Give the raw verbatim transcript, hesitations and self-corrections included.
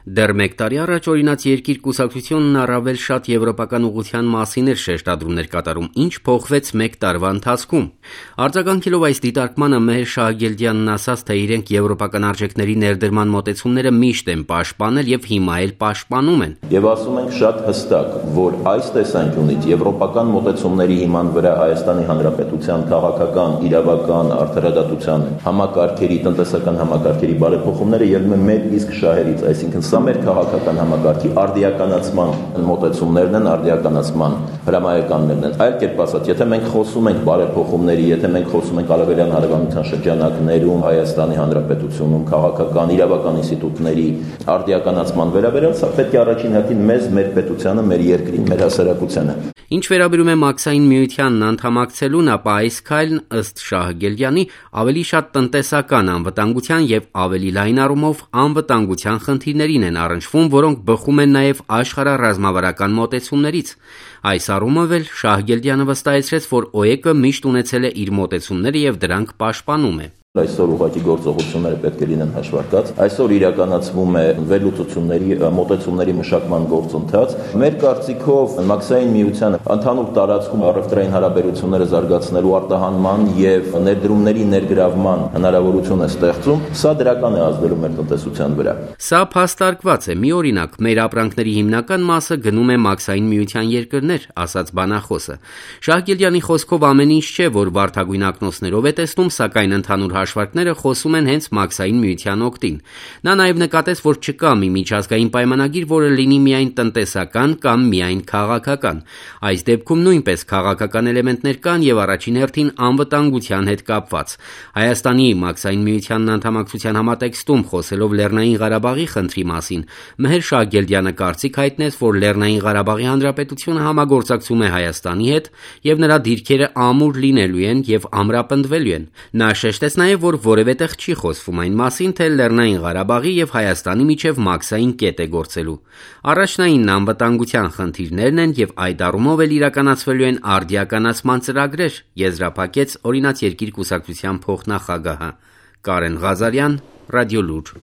Դեռ մեկ տարի առաջ օրինաց երկիր կուսակցությունն առավել շատ եվրոպական ուղղության մասին էր շեշտադրումներ կատարում, ինչ փոխվեց մեկ տարվա ընթացքում։ Արձագանքելով այս դիտարկմանը Մեհեր Շահագելդյանն ասաց, թե իրենք եվրոպական արժեքների ներդրման մոտեցումները միշտ են պաշտպանել եւ հիմա էլ պաշտպանում են։ Եվ ասում ենք շատ հստակ, որ այս տեսանկյունից եվրոպական մոտեցումների հիման վրա Հայաստանի Հանրապետության քաղաքական, իրավական, արդարադատության համակարգերի, տնտեսական համակարգերի բարեփոխումները ելնում են մեր իսկ շահերից, այսինքն սա մեր քաղաքական համակարգի արդիականացման մոտեցումներն են, արդիականացման հրամայականներն են։ Այլ կերպ ասած, եթե մենք խոսում ենք բարեփոխումների, եթե մենք խոսում ենք Արևելյան հարևանության շրջանակներում, Հայաստանի Հանրապետությունում քաղաքական, իրավական ինստիտուտների արդիականացման վերաբերյալ, սա պետք է առաջին հերթին մեզ, մեր պետությանը, մեր երկրին, մեր հասարակությանը։ Ինչ վերաբերում է Մաքսային միությանն անդամակցելուն, ապա այս քայլն ըստ Շահագելդյանի ավելի շատ տնտեսական անվտանգության եւ ավելի լայն առումով անվտանգության խնդիրներին են առնչվում, որոնք բխում են նաեւ աշխարհառազմավարական մոտեցումներից։ Այս առումով էլ Շահագելդյանը վստահեցրեց, որ ՕԵԿ-ը միշտ ունեցել է իր մոտեցումները եւ դրանք պաշտպանում է։ Այսօր ուղղակի գործողությունները պետք է լինեն հաշվարկած։ Այսօր իրականացվում է վերլուծությունների, մոտեցումների մշակման գործընթաց։ Մեր կարծիքով Մաքսային միությանը ընդհանուր տարածքում առևտրային հարաբերությունները զարգացնելու արտահանման եւ ներդրումների ներգրավման հնարավորություն է ստեղծում։ Սա դրական է ազդելու մեր տնտեսության վրա։ Սա փաստարկված է։ Մի օրինակ, մեր ապրանքների հիմնական մասը գնում է Մաքսային միության երկրներ, ասաց բանախոսը։ Շահագելդյանի խոսքով ամեն ինչ չէ, որ վարդագույն ակնոցներով է տեսնում, սակայն ընդհանուր հաշվարկները խոսում են հենց Մաքսային միության օգտին։ Նա նաև նկատեց, որ չկա մի միջազգային պայմանագիր, որը լինի միայն տնտեսական կամ միայն քաղաքական։ Այս դեպքում նույնպես քաղաքական էլեմենտներ կան եւ առաջին հերթին անվտանգության հետ կապված։ Հայաստանի Մաքսային միությանն անդամակցության համատեքստում խոսելով Լեռնային Ղարաբաղի խնդրի մասին, Մեհեր Շահագելդյանը կարծիք հայտնեց, որ Լեռնային Ղարաբաղի Հանրապետությունը համագործակցում է Հայաստանի հետ եւ նրա դիրքերը ամուր լինելու են եւ ամրապնդվելու են։ Նա շեշտեց նաև, որ որևէ տեղ չի խոսվում այն մասին, թե Լեռնային Ղարաբաղի եւ Հայաստանի միջև Մաքսային կետ է գործելու։ Առաջնային անվտանգության խնդիրներն են եւ այդ առումով էլ իրականացվելու են արդիականացման ծրագրեր, եզրափակեց օրինաց երկիր կուսակցության փոխնախագահը Կարեն Ղազարյան, Ռադիոլուր։